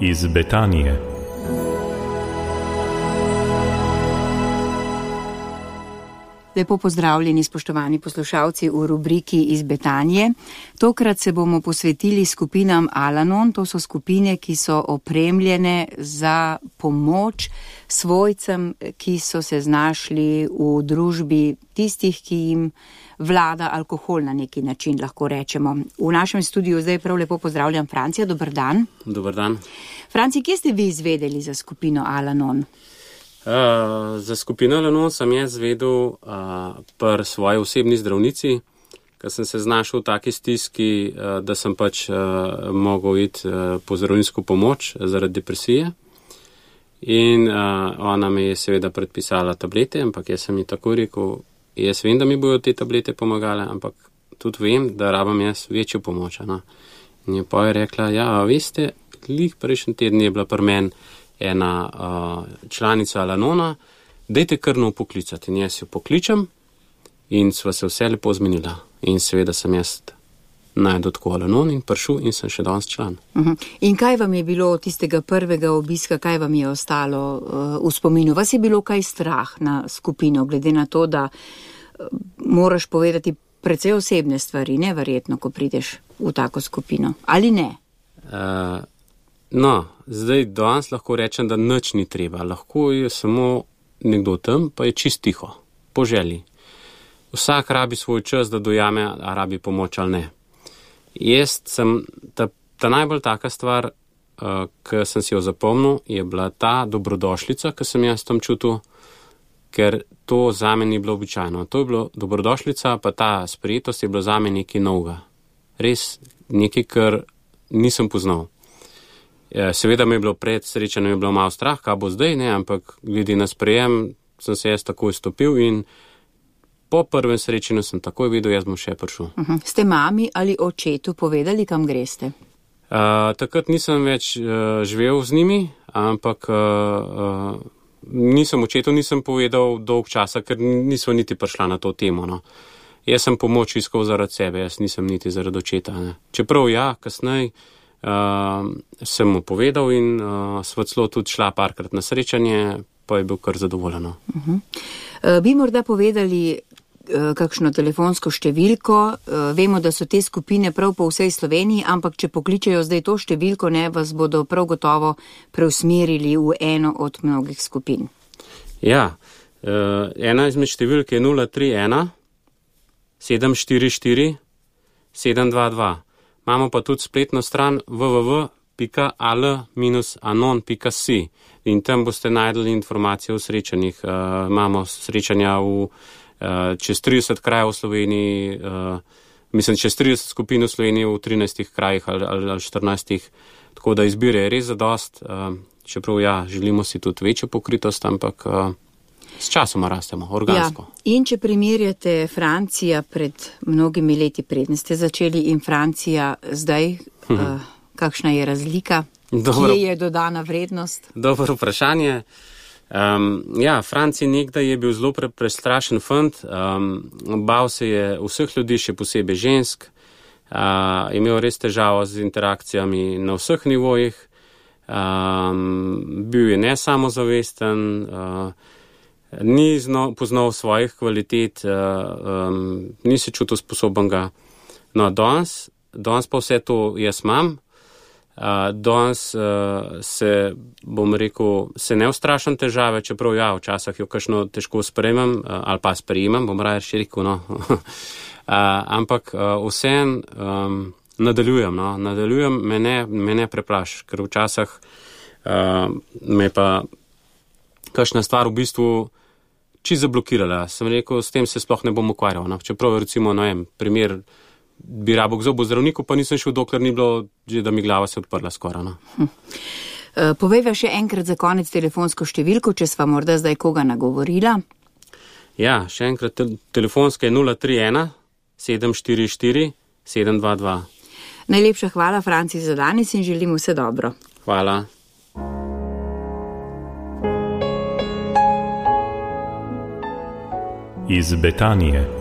iz Betanije. Lepo pozdravljeni, spoštovani poslušalci v rubriki iz Betanije. Tokrat se bomo posvetili skupinam Al-Anon. To so skupine, ki so opremljene za pomoč svojcem, ki so se znašli v družbi tistih, ki jim vlada alkohol na neki način, lahko rečemo. V našem studiu zdaj prav lepo pozdravljam Francija. Dober dan. Dober dan. Franci, kje ste vi izvedeli za skupino Al-Anon? Za skupino Al-Anon sem jaz vedel pri svoji osebni zdravnici, ker sem se znašel v taki stiski, da sem pač mogel iti po zdravniško pomoč zaradi depresije. In ona mi je seveda predpisala tablete, ampak jaz sem ji tako rekel, jaz vem, da mi bojo te tablete pomagale, ampak tudi vem, da rabam jaz večjo pomoč. In je pa je rekla, ja, veste, glih prejšnji teden je bila pri meni ena članica Al-Anona, dajte kar nov poklicati. In jaz jo pokličem in sva se vse lepo zmenila. In seveda sem jaz najdel tako Al-Anon in prišel in sem še danes član. In kaj vam je bilo od tistega prvega obiska, kaj vam je ostalo v spominu? Vas je bilo kaj strah na skupino, glede na to, da moraš povedati precej osebne stvari, neverjetno, ko prideš v tako skupino? Ali ne? No, zdaj danes lahko rečem, da nič ni treba. Lahko je samo nekdo tam, pa je čist tiho, po želji. Vsak rabi svoj čas, da dojame, a rabi pomoč ali ne. Jaz sem, ta najbolj taka stvar, ki sem si jo zapomnil, je bila ta dobrodošlica, ki sem jaz tam čutil, ker to zame ni bilo običajno. To je bilo dobrodošlica, pa ta sprejetost je bilo zame nekaj novega. Res nekaj, kar nisem poznal. Seveda mi je bilo pred srečanjem je bilo malo strah, kaj bo zdaj, ne, ampak glede na sprejem sem se jaz takoj stopil in po prvem srečanju sem takoj videl, jaz bom še prišel. Ste mami ali očetu povedali, kam greste? Takrat nisem več živel z njimi, ampak očetu nisem povedal dolg časa, ker nismo niti prišla na to temo. No. Jaz sem pomoč iskal zaradi sebe, jaz nisem niti zaradi očeta. Ne. Čeprav ja, kasneje sem mu povedal in sva celo tudi šla parkrat na srečanje, pa je bil kar zadovoljeno. Bi morda povedali kakšno telefonsko številko? Vemo, da so te skupine prav po vsej Sloveniji, ampak če pokličejo zdaj to številko, ne, vas bodo prav gotovo preusmerili v eno od mnogih skupin. Ja, ena izmed številk je 031 744 722. Imamo pa tudi spletno stran www.al-anon.si in tam boste najdeli informacije o srečanjih. Imamo srečanja čez 30 krajev v Sloveniji, čez 30 skupin v Sloveniji v 13 krajih ali 14, tako da izbire je res zadost, čeprav ja, želimo si tudi večjo pokritost, ampak s časoma rastemo, organsko. Ja. In če primerjate Francija pred mnogimi leti, preden ste začeli, in Francija zdaj, kakšna je razlika? Kje je dodana vrednost? Dobro vprašanje. Ja, Francij nekdaj je bil zelo prestrašen fant, bal se je vseh ljudi, še posebej žensk, imel res težavo z interakcijami na vseh nivojih, bil je nesamozavesten, ni poznal svojih kvalitet, ni se čutil sposobenega. No, danes pa vse to jaz imam. Danes se, bom rekel, se ne ustrašam težave, čeprav ja, včasih jo kakšno težko sprejemam, ali pa sprejemam, bom raje še rekel, no. Ampak vseeno nadaljujem, no. Nadaljujem, me ne preplaš, ker včasih me pa kakšna stvar v bistvu čisto zablokirala. Sem rekel, s tem se sploh ne bom ukvarjal. No. Čeprav recimo, primer, bi rabo k zobozdravniku, pa nisem šel, dokler ni bilo, že da mi glava se odprla skoraj. No. Povejva še enkrat za konec telefonsko številko, če sva morda zdaj koga nagovorila. Ja, še enkrat telefonska je 031 744 722. Najlepša hvala, Franci, za danes in želim vse dobro. Hvala. Iz Betanije.